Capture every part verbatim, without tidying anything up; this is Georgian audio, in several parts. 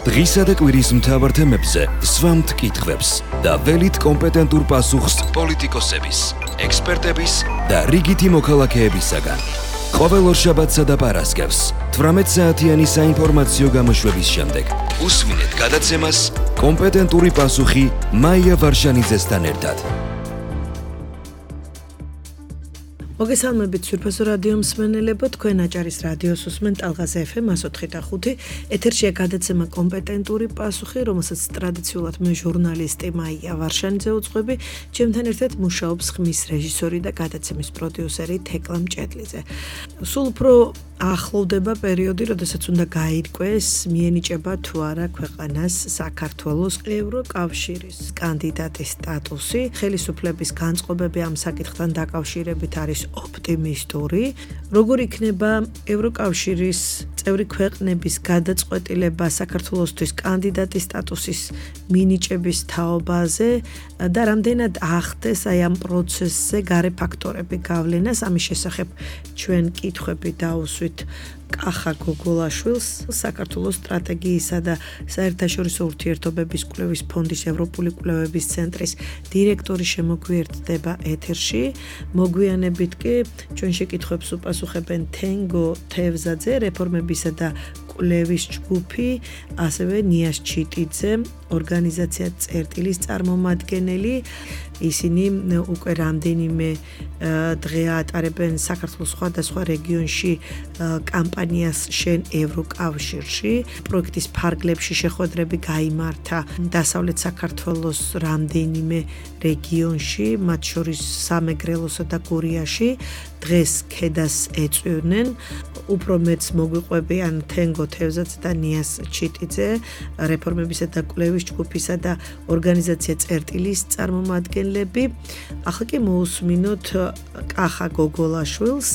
დღისა და კვირის მთავარ თემებზე სვამთ კითხვებს და ველით კომპეტენტურ პასუხს პოლიტიკოსების, ექსპერტების და რიგითი მოქალაქეებისაგან. ყოველ ორშაბათსა და პარასკევს თვრამეტ საათიანი საინფორმაციო გამოშვების შემდეგ უსმინეთ გადაცემას კომპეტენტური პასუხი მაია ვარშანიძესთან ერთად. მოგესალმებით სურფასო რადიო მსმენელებო, თქვენ აჭარის რადიოს უსმენთ ალღაზ ეფ ემ εκατო ოთხი და ხუთი. ეთერშია გადაცემა კომპეტენტური პასუხი, რომელსაც ტრადიციულად მე ჟურნალისტი მაია ვარშანიძე უძღვები, ჩემთან ერთად მუშაობს ხმის რეჟისორი და გადაცემის პროდიუსერი თეკლა მჭედლიძე. სულ უფრო ახლოვდება პერიოდი, როდესაც უნდა გაირკვეს, მიენიჭება თუ არა ქვეყანას საქართველოს ევროკავშირის კანდიდატის სტატუსი. ხელისუფლების განწყობები ამ საკითხთან დაკავშირებით არის ოპტიმისტური. როგორ იქნება ევროკავშირის წევრი ქვეყნების გადაწყვეტილება საქართველოსთვის კანდიდატის სტატუსის მინიჭების თაობაზე და რამდენად ახდეს აი ამ პროცესზე გარე ფაქტორები გავლენას, ამის შესახებ ჩვენ კითხვები დავუსვით კახა გოგოლაშვილს, საქართველოს სტრატეგიისა და საერთაშორისო ურთიერთობების კვლევის ფონდის ევროპული კვლევების ცენტრის დირექტორი შემოგვიერთდება ეთერში. მოგვიანებით კი ჩვენ შეკითხვებს უპასუხებენ თენგო თევზაძე, რეფორმებისა და კვლევის ჯგუფი, ასევე ნიას ჩიტიძე, ორგანიზაცია წერტილის წარმომადგენელი. ისინი უკვე რამდენიმე დღე ატარებენ საქართველოს სხვადასხვა რეგიონში კამპანიას შენ ევროკავშირში. პროექტის ფარგლებში შეხვედრები გაიმართა დასავლეთ საქართველოს რამდენიმე რეგიონში, მათ შორის სამეგრელოსა და გურიაში. დღეს ქედას ეწვივნენ. უფრო მეც მოგვიყვებიან თენგო თევზაძე და ნიას ჩიტიძე, რეფორმებისა და კვლევის ჯგუფისა და ორგანიზაცია წერტილის წარმომადგენლები. ახლა კი მოусმინოთ კახა გოგოლაშვილს.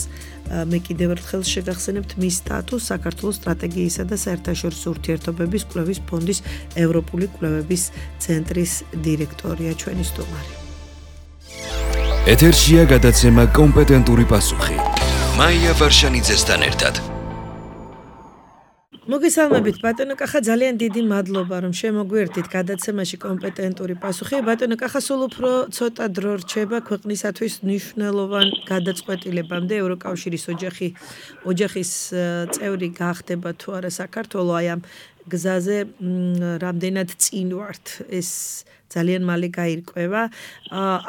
მე კიდევ ერთხელ შეგახსენებთ მის სტატუსს საქართველოს სტრატეგიისა და საერთაშორისო ურთიერთობების კვლევის ფონდის ევროპული კვლევების ცენტრის დირექტორია, ჩვენი სტუმარი. ეთერშია გადაცემა კომპეტენტური პასუხი მაია ვარშანიძესთან ერთად. მოგესალმებით ბატონო კახა, ძალიან დიდი მადლობა რომ შემოგვიერთდით გადაცემაში კომპეტენტური პასუხი. ბატონო კახა, სულ უფრო ცოტა დრო რჩება ქვეყნისათვის მნიშვნელოვან გადაწყვეტილებამდე ევროკავშირის ოჯახი ოჯახის წევრი გახდება თუ არა საქართველო, აი ამ გზაზე რამდენად წინ ვართ, ეს ძალიან მალე გაირკვევა.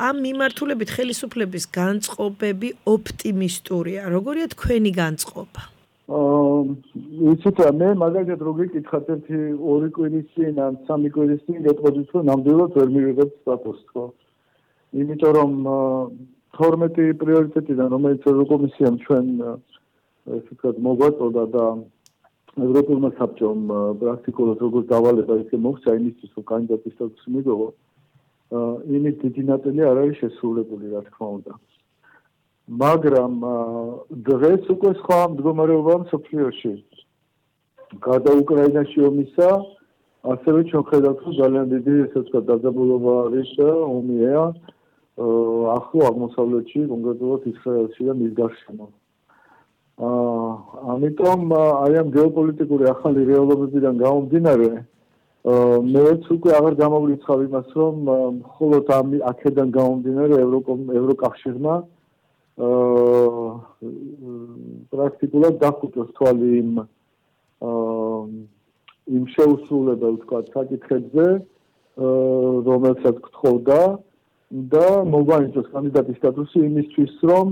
ამ მიმართულებით ხელისუფლების განწყობები ოპტიმისტურია. როგორია თქვენი განწყობა? იცით, მე მაგალითად რო გეკითხათ ერთი ორი კვირის წინ ან სამი კვირის წინ გეტყოდით, რომ ნამდვილად ვერ მივიღებთ სტატუსს, ხო? იმიტომ რომ თორმეტი პრიორიტეტიდან, რომელიც ევროკომისიამ ჩვენ ესე ვთქვათ მოგვაწოდა და ევროპულმა საბჭომ პრაქტიკულად როგორც დავალება ისე მოხდა იმისთვის, რომ კანდიდატის სტატუსი მიიღო, იმით დიდი ნაწილი არ არის შესრულებული, რა თქმა უნდა. მაგრამ დღეს უკვე სხვა მდგომარეობაა მსოფლიოში. გარდა უკრაინაში ომისა, ასევე ჩვენ ხედავთ, რომ ძალიან დიდი ესე ვთქვათ დაძაბულობა არის და ომია ახლო აღმოსავლეთში, კონკრეტულად ისრაელში და მის გარშემო. ამიტომ აი ამ გეოპოლიტიკური ახალი რეალობებიდან გამომდინარე, მეც უკვე აღარ გამოვრიცხავ იმას, რომ მხოლოდ ამ აქედან გამომდინარე ევროკავშირმა პრაქტიკულად დახუტოს თვალი იმ იმ შეუსრულებელ ვთქვათ საკითხებზე, რომელსაც გთხოვდა და მოგვანიჭოს კანდიდატის სტატუსი იმისთვის, რომ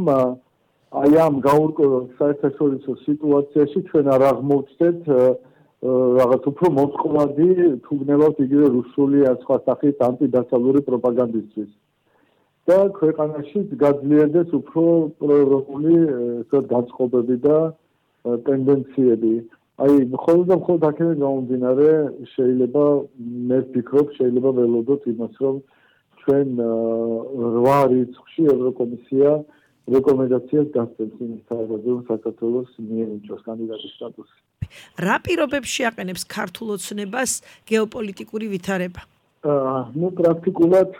აი ამ გაურკვეველ საერთაშორისო სიტუაციაში ჩვენ არ აღმოვჩნდეთ რაღაც უფრო მოწყვლადი, თუ გნებავთ იგივე რუსული ან სხვა სახის ანტიდასავლური პროპაგანდისთვის. და ქვეყანაში გაძლიერდეს უფრო პროევროპული განწყობები და ტენდენციები. აი, მხოლოდ და მხოლოდ აქედან გამომდინარე, შეიძლება მე ვფიქრობ, შეიძლება ველოდოთ იმას, რომ ჩვენ რვა რიცხვში ევროკომისია რეკომენდაციას გასცემს იმის თაობაზე, რომ საქართველოს მიენიჭოს კანდიდატის სტატუსი. რა პირობებში აყენებს ქართულ ოცნებას გეოპოლიტიკური ვითარება? ნუ პრაქტიკულად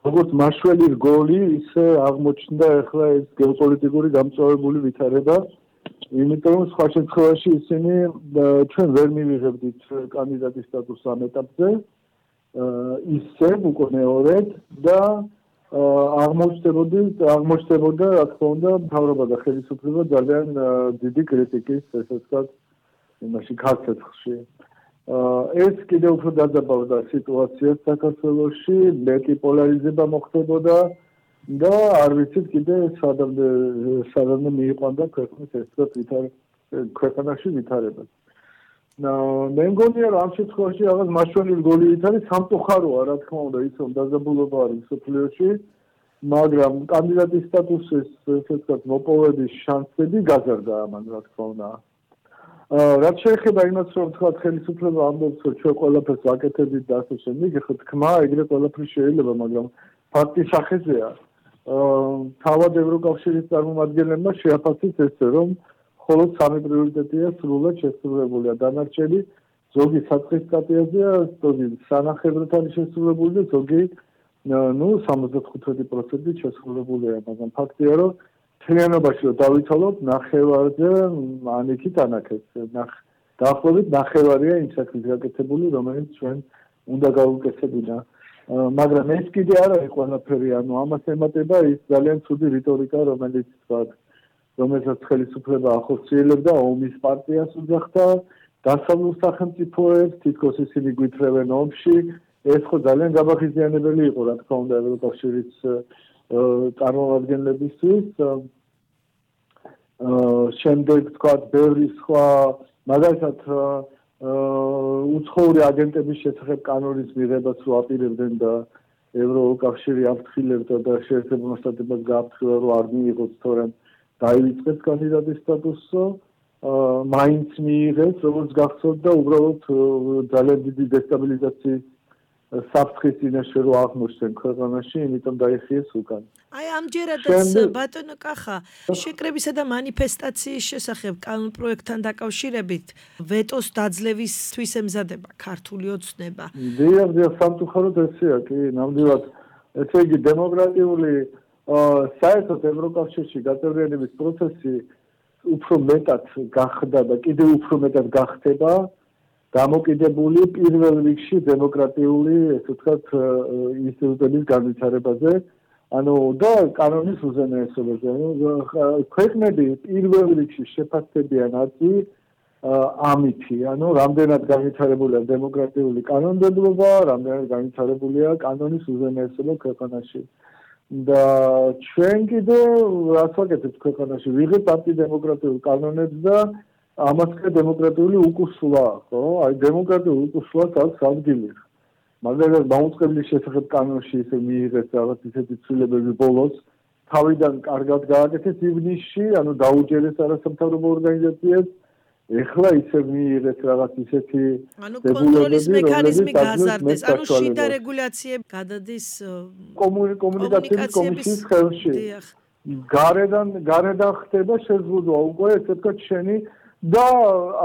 როგორც მაშველი რგოლი, ისე აღმოჩნდა ახლა ეს გეოპოლიტიკური გამწვავებული ვითარება, იმიტომ რომ სხვა შემთხვევაში ისინი ჩვენ ვერ მივიღებდით კანდიდატის სტატუსს ამ ეტაპზე ისე უკვე მეორედ და აღმოჩნდებოდი აღმოჩნდებოდა რა თქმა უნდა მთავრობა და ხელისუფლება ძალიან დიდი კრიტიკის ესე ვთქვათ იმაში ქართლში ეს კიდევ უფრო დაძაბავდა სიტუაციას საქართველოში მეტი პოლარიზება მოხდებოდა და არ ვიცით კიდე სადამდე სადამდე მიიყვანდა ქვეყნის ეს ვთქვათ ქვეყანაში ვითარებას მე მგონია რომ ამ შემთხვევაში რაღაც მაშვენილი გოლით არის სამწუხაროა რა თქმა უნდა ის რომ დაძაბულობა არის მსოფლიოში მაგრამ კანდიდატის სტატუსის ესე ვთქვათ მოპოვების შანსები გაზარდა ამან რა თქმა უნდა რაც შეეხება იმას რომ თქვათ ხელისუფლება ამბობს რომ ჩვენ ყველაფერს ვაკეთებთ და ასე შემდეგ ეხლა თქმა ეგრე ყველაფერი შეიძლება მაგრამ ფაქტი სახეზეა თავად ევროკავშირის წარმომადგენლებმა შეაფასეს ესე რომ მხოლოდ სამი პრიორიტეტია სრულად შესრულებულია დანარჩენი ზოგი საწყის სტატიაზეა ზოგი სანახევრად არის შესრულებული და ზოგი ნუ სამოცდათხუთმეტი პროცენტით შესრულებულია მაგრამ ფაქტია რომ მთლიანობაში რომ დავითვალოთ ნახევარზე ან იქით ანაქეს დაახლოებით ნახევარია იმ საქმის გაკეთებული რომელიც ჩვენ უნდა გავუკეთებინა მაგრამ ეს კიდე არ არის ყველაფერი ანუ ამას ემატება ის ძალიან ცუდი რიტორიკა რომელიც თქვათ რომელსაც ხელისუფლება ახორციელებდა ომის პარტიას უძახდა დასავლურ სახელმწიფოებს თითქოს ისინი გვითრევენ ომში ეს ხო ძალიან გაბახიზიანებელი იყო რა თქმა უნდა ევროკავშირის წარმომადგენლებისთვის შემდეგ თქვათ ბევრი სხვა მაგალითად უცხოური აგენტების შესახებ კანონის მიღებას რო აპირებდნენ და ევროკავშირი აფრთხილებდა და შეერთებულ შტატებად გააფრთხილა რომ არ მიიღოს თორემ დაივიწყეს კანდიდატის სტატუსო მაინც მიიღეს როგორც გახსოვთ და უბრალოდ ძალიან დიდი დესტაბილიზაციის საფრთხის წინაშე რო აღმოჩნდნენ ქვეყანაში იმიტომ დაიხიეს უკან აი ამჯერადაც ბატონო კახა შეკრებისა და მანიფესტაციის შესახებ კანონპროექტთან დაკავშირებით ვეტოს დაძლევისთვის ემზადება ქართული ოცნება დიახ დიახ სამწუხაროდ ესეა კი ნამდვილად ესე იგი დემოკრატიული საერთოდ ევროკავშირში გაწევრიანების პროცესი უფრო მეტად გახდა და კიდევ უფრო მეტად გახდება დამოკიდებული პირველ რიგში დემოკრატიული ესე ვთქვათ ინსტიტუტების განვითარებაზე ანუ და კანონის უზენაესობაზე ანუ ქვეყნები პირველ რიგში შეფასდებიან აწი ამითი ანუ რამდენად განვითარებულია დემოკრატიული კანონმდებლობა რამდენად განვითარებულია კანონის უზენაესობა ქვეყანაში და ჩვენ კიდე რაც ვაკეთებთ ქვეყანაში ვიღებთ ანტიდემოკრატიულ კანონებს და ამასკე დემოკრატიული უკუსვლა ხო აი დემოკრატიული უკუსვლას აქვს ადგილი მაგალითად მაუწყებლის შესახებ კანონში ისე მიიღეს რაღაც ისეთი ცვლილებები ბოლოს თავიდან კარგად გააკეთეს ივნისში ანუ დაუჯერეს არასამთავრობო ორგანიზაციებს ეხლა ისე მიიღეს რაღაც ისეთი ანუ კონტროლის მექანიზმი გაზარდეს ანუ შიდა რეგულაციები გადადის კომუნიკაციის კომისიის ხელში გარედან გარედან ხდება შეზღუდვა უკვე ესე ვთქვათ შენი და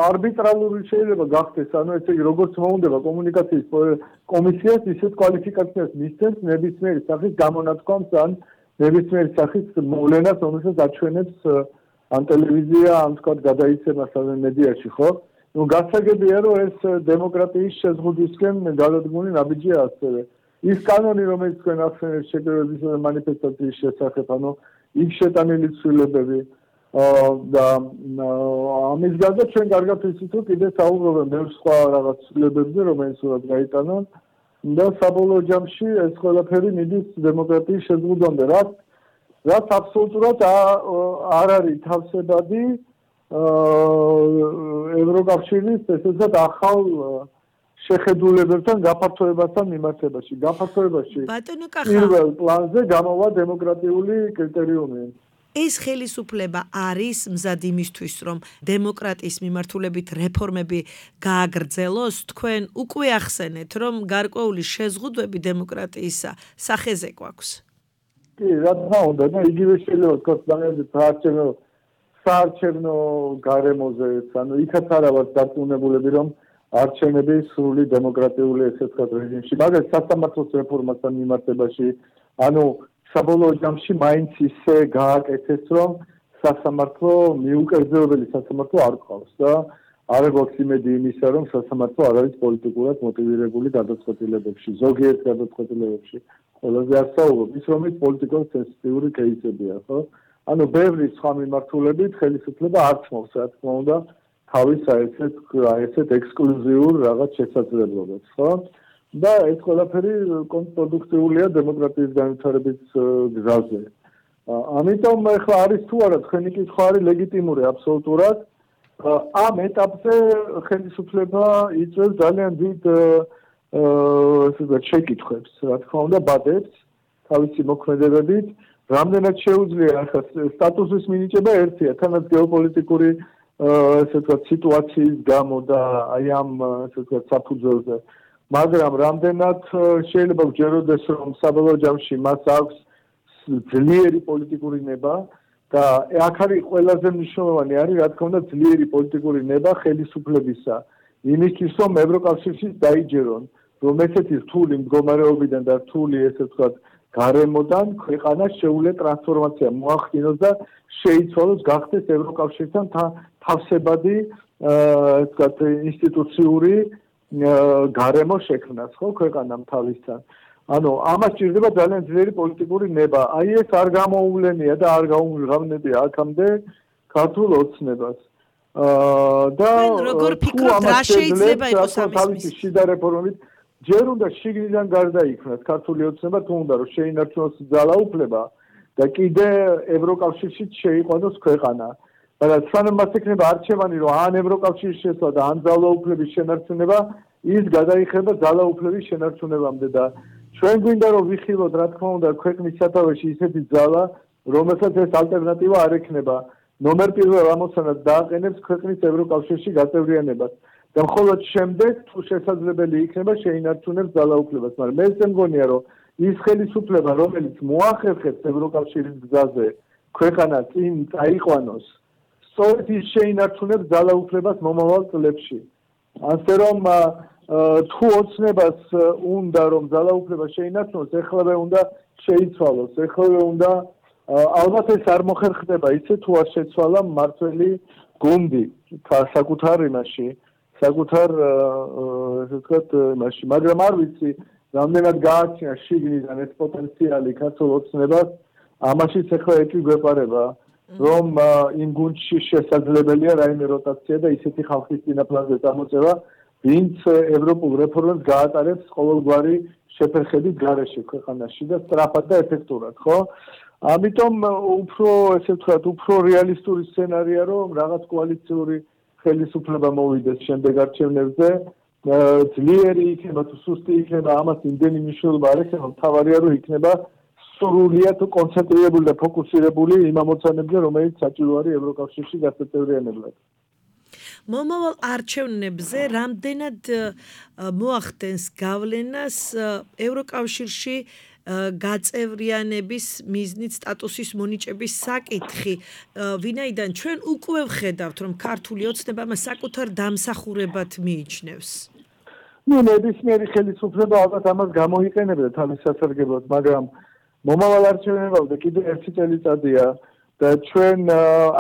არბიტრალური შეიძლება გახდეს ანუ ესე იგი როგორც მოუნდება კომუნიკაციის კომისიას ისეთ კვალიფიკაციას მისცემს ნებისმიერი სახის გამონათქვამს ან ნებისმიერი სახის მოვლენას რომელსაც აჩვენებს ან ტელევიზია ან თქვათ გადაიცემას ან მედიაში ხო ну გასაგებია რომ ეს დემოკრატიის შეზღუდვისკენ გადადგმული ნაბიჯია ასევე ის კანონი რომელიც თქვენ ახსენეთ შეკრებების მანიფესტაციის შესახებ ანუ იქ შეტანილი ცვლილებები და ამის გარდა ჩვენ კარგად ვიცით რომ კიდე საუბრობენ ბევრ სხვა რაღაც ცვლილებებზე რომელიც უნდა გაიტანონ და საბოლოო ჯამში ეს ყველაფერი მიდის დემოკრატიის შეზღუდვამდე რაც რაც აბსოლუტურად არ არის თავსებადი ევროკავშირის ესე ვთქვათ ახალ შეხედულებებთან გაფართოებასთან მიმართებაში გაფართოებაში პირველ პლანზე გამოვა დემოკრატიული კრიტერიუმი ეს ხელისუფლება არის მზად იმისთვის რომ დემოკრატიის მიმართულებით რეფორმები გააგრძელოს თქვენ უკვე ახსენეთ რომ გარკვეული შეზღუდვები დემოკრატიისა სახეზე გვაქვს კი რა თქმა უნდა და იგივე შეიძლება ვთქვათ საარჩევნო საარჩევნო გარემოზე ანუ იქაც არა ვართ დარწმუნებულები რომ არჩევნები სრული დემოკრატიული ესე ვთქვათ რეჟიმში მაგრამ სასამართლოს რეფორმასთან მიმართებაში ანუ საბოლოო ჯამში მაინც ისე გააკეთეს რომ სასამართლო მიუკერძოებელი სასამართლო არ ყავს და არ გვაქვს იმედი იმისა, რომ სასამართლო არ არის პოლიტიკურად მოტივირებული გადაწყვეტილებებში, ზოგიერთ გადაწყვეტილებებში. ყველაზე ასაუბრობ ის, რომ ის პოლიტიკურად სენსიტიური кейსებია, ხო? ანუ ბევრი სხვა მიმართულებით ხელისუფლება არ ცნობს, რა თქმა უნდა, თავის აეცეთ აეცეთ ექსკლუზიურ რაღაც შესაძლებლობებს, ხო? და ეს ყველაფერი კონტრპროდუქტიულია დემოკრატიის განვითარების გზაზე. ამიტომ ახლა არის თუ არა თქვენი კითხვა არის ლეგიტიმური აბსოლუტურად. ამ ეტაპზე ხელისუფლება იწევს ძალიან დიდ ესე ვთქვათ შეკითხვებს, რა თქმა უნდა, ბადებს თავისი მოქმედებებით. რამდენად შეუძლია ახლა სტატუსის მინიჭება ერთია, თანაც გეოპოლიტიკური ესე ვთქვათ სიტუაციის გამო და აი ამ ესე ვთქვათ საფუძველზე. მაგრამ რამდენად შეიძლება გჯეროდეს, რომ საბოლოო ჯამში მას აქვს ძლიერი პოლიტიკური ნება და აქ არის ყველაზე მნიშვნელოვანი არის, რა თქმა უნდა, ძლიერი პოლიტიკური ნება ხელისუფლებისა. იმისთვის, რომ ევროკავშირში დაიჯერონ, რომ ესეთი რთული მდგომარეობიდან და რთული ესე ვთქვათ გარემოდან ქვეყანა შეუძლია ტრანსფორმაცია მოახდინოს და შეიცვალოს, გახდეს ევროკავშირთან თავსებადი ესე ვთქვათ ინსტიტუციური გარემო შექმნას, ხო, ქვეყანამ თავისთან. ანუ ამას ჭირდება ძალიან ძლიერი პოლიტიკური ნება. აი ეს არ გამოუვლენია და არ გაუმჟღავნებია აქამდე ქართულ ოცნებას. აა და როგორ ფიქრობთ, რა შეიძლება იყოს ამის შიდა რეფორმით ჯერ უნდა შიგნიდან გარდაიქმნას ქართული ოცნება, თუ უნდა რომ შეინარჩუნოს ძალაუფლება და კიდე ევროკავშირში შეიყვანოს ქვეყანა. მაგრამ სანამ მას ექნება არჩევანი, რომ ან ევროკავშირში შესვლა და ან ძალაუფლების შენარჩუნება, ის გადაიხება ძალაუფლების შენარჩუნებამდე და ჩვენ გვინდა რომ ვიხილოთ, რა თქმა უნდა, ქვეყნის სათავეში ისეთი ძალა, რომელსაც ეს ალტერნატივა არ ექნება. ნომერ პირველ ამოცანად დააყენებს ქვეყნის ევროკავშირში გაწევრიანებას. და მხოლოდ შემდეგ თუ შესაძლებელი იქნება შეინარჩუნებს ძალაუფლებას, მაგრამ მე ესე მგონია, რომ ის ხელისუფლება, რომელიც მოახერხებს ევროკავშირის გზაზე ქვეყანა წინ წაიყვანოს, სწორედ ის შეინარჩუნებს ძალაუფლებას მომავალ წლებში. ასე რომ თუ ოცნებას უნდა რომ ძალაუფლება შეინარჩუნოს, ეხლავე უნდა შეიცვალოს, ეხლავე უნდა ალბათ ეს არ მოხერხდება ისე თუ არ შეცვალა მმართველი გუნდი საკუთარ იმაში, საკუთარ ესე ვთქვათ იმაში, მაგრამ არ ვიცი რამდენად გააჩნია შიგნიდან ეს პოტენციალი ქართულ ოცნებას, ამაშიც ეხლა ეკი გვეპარება, რომ იმ გუნდში შესაძლებელია რაიმე როტაცია და ისეთი ხალხის წინაპრაზე წამოწევა, ვინც ევროპულ რეფორმებს გაატარებს ყოველგვარი შეფერხებით გარეშე ქვეყანაში და სწრაფად და ეფექტურად, ხო? ამიტომ უფრო ესე ვთქვათ, უფრო რეალისტური სცენარია, რომ რაღაც კოალიციური ხელისუფლება მოვიდეს შემდეგ არჩევნებზე, ძლიერი იქნება თუ სუსტი იქნება, ამას იმდენი მნიშვნელობა არ ექნება, მთავარია რომ იქნება სრულიად კონცენტრირებული და ფოკუსირებული იმ ამოცანებზე, რომელიც საჭირო არის ევროკავშირში გაწევრიანებლად. მომავალ არჩევნებზე რამდენად მოახდენს გავლენას ევროკავშირში გაწევრიანების მიზნით სტატუსის მონიჭების საკითხი, ვინაიდან ჩვენ უკვე ვხედავთ, რომ ქართული ოცნება მას საკუთარ დამსახურებად მიიჩნევს. ნუ ნებისმიერი ხელისუფლება ალბათ ამას გამოიყენებდა თავის სასარგებლოდ, მაგრამ მომავალ არჩევნებამდე კიდევ ერთი წელიწადია და ჩვენ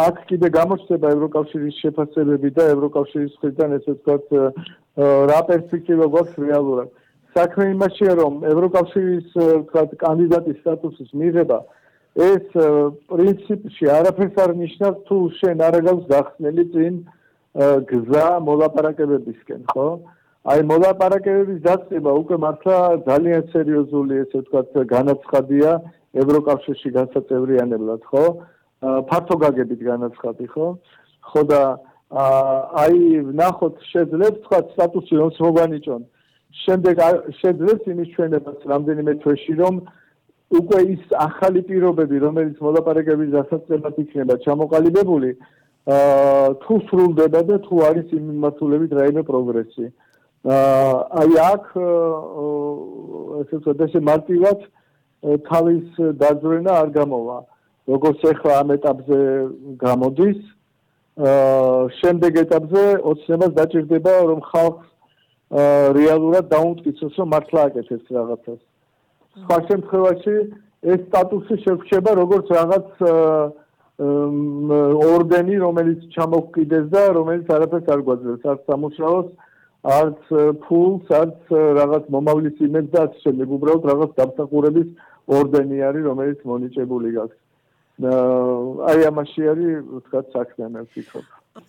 აქ კიდე გამოჩნდება ევროკავშირის შეფასებები და ევროკავშირის მხრიდან ესე ვთქვათ რა პერსპექტივა გვაქვს რეალურად. საქმე იმაშია, რომ ევროკავშირის ვთქვათ კანდიდატის სტატუსის მიღება ეს პრინციპში არაფერს არ ნიშნავს, თუ შენ არ გაქვს გახსნილი წინ გზა მოლაპარაკებებისკენ, ხო? აი მოლაპარაკებების დაწყება უკვე მართლა ძალიან სერიოზული ესე ვთქვათ განაცხადია ევროკავშირში განსაწევრიანებლად, ხო? ფართო გაგებით განაცხადი, ხო? ხო და აი ნახოთ შეძლებს თქვა სტატუსი რომ მოგანიჭონ. შემდეგ შეძლებს იმის ჩვენებას რამდენიმე თვეში რომ უკვე ის ახალი პირობები, რომელიც მოლაპარაკების დასაწყებად იქნება ჩამოყალიბებული, თუ სრულდება და თუ არის იმ მიმართულებით რაიმე პროგრესი. აი აქ ესე ვთქვათ, ესე მარტივად თავის დაძვრენა არ გამოვა. როგორც ახლა ამ ეტაპზე გამოდის, შემდეგ ეტაპზე ოცნებას დაჭირდება რომ ხალხს რეალურად დაუმტკიცოს, რომ მართლა აკეთებს რაღაცას. სხვა შემთხვევაში ეს სტატუსი შეგვჩება როგორც რაღაც ორდენი, რომელიც ჩამოგკიდეს და რომელიც არაფერს არ გვაძლევს, არც სამუშაოს, არც ფულს, არც რაღაც მომავლის იმედს და ასე შემდეგ. უბრალოდ რაღაც დამსახურების ორდენი არის, რომელიც მონიჭებული გაქვს. აი ამაში არის, ვთქვათ, საქმე მე ვფიქრობ.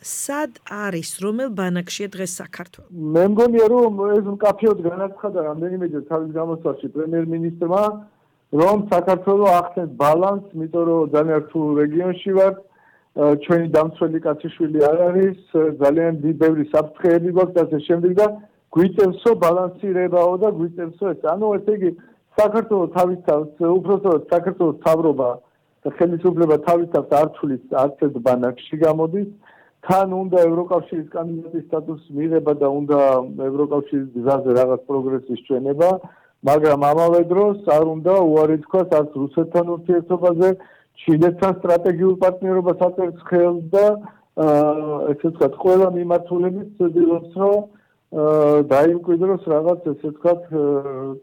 სად არის, რომელ ბანაკშია დღეს საქართველო? მე მგონია, რომ ეს მკაფიოდ განაცხადა რამდენიმეჯერ თავის გამოსვლაში პრემიერ-მინისტრმა, რომ საქართველო ახდენს ბალანსს, იმიტომ რომ ძალიან რთულ რეგიონში ვართ, ჩვენი დამცველი კაციშვილი არ არის, ძალიან ბევრი საფრთხეები გვაქვს და ასე შემდეგ და გვიწევსო ბალანსირებაო და გვიწევსო ეს. ანუ ესე იგი, საქართველო თავისთავად, უпростоოდ საქართველოს მთავრობა და ხელისუფლება თავისთავად არ თulis არც ერთ ბანაკში გამოდის. თან უნდა ევროკავშირის კანდიდატის სტატუსის მიღება და უნდა ევროკავშირის გზაზე რაღაც პროგრესის ჩვენება, მაგრამ ამავე დროს არ უნდა უარი თქვას არც რუსეთთან ურთიერთობაზე, ჩინეთთან სტრატეგიულ პარტნიორობას აწერს ხელს და ესე ვთქვათ, ყველა მიმართულებით ცდილობს, რომ დაიმკვიდროს რაღაც ესე ვთქვათ,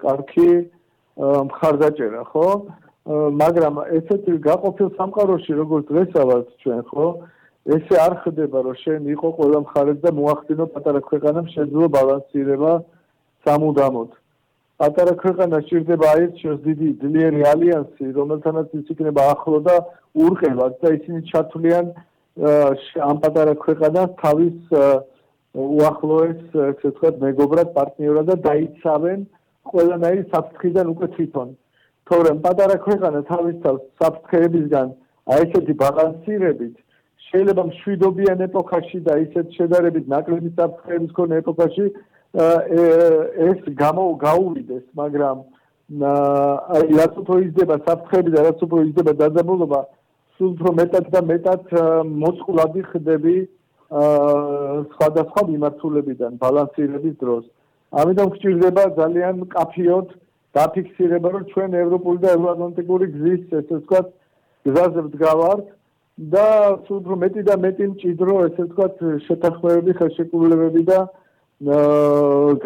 კარგი მხარდაჭერა, ხო? მაგრამ ესეთი გაყოფილ სამყაროში, როგორც დღესა ვართ ჩვენ, ხო? ესე არ ხდება, რომ შენ იყო ყველა მხარეს და მოახდინო პატარა ქვეყანამ შეძლო ბალანსირება სამუდამოდ. პატარა ქვეყანა სჭირდება აერჩიოს დიდი ძლიერი ალიანსი, რომელთანაც ის იქნება ახლო და ურყევად და ისინი ჩათვლიან ამ პატარა ქვეყანას თავის უახლოეს, ესე ვთქვათ, მეგობრად, პარტნიორად და დაიცავენ ყველანაირი საფრთხიდან უკვე თვითონ. თორემ პატარა ქვეყანა თავისთავად საფრთხეებისგან აი ესეთი ბალანსირებით შეიძლება მშვიდობიან ეპოქაში და ისეთ შედარებით ნაკლები საფრთხეების მქონე ეპოქაში ეს გამო გაუვიდეს, მაგრამ აი რაც უფრო იზრდება საფრთხეები და რაც უფრო იზრდება დაძაბულობა, სულ უფრო მეტად და მეტად მოწყვლადი ხდები სხვადასხვა მიმართულებიდან ბალანსირების დროს. ამიტომ გვჭირდება ძალიან მკაფიოდ დაფიქსირება, რომ ჩვენ ევროპული და ევროატლანტიკური გზის, ესე ვთქვათ, გზაზე ვდგავართ და სულ უფრო მეტი და მეტი მჭიდრო, ესე ვთქვათ, შეთანხმებები, ხელშეკრულებები და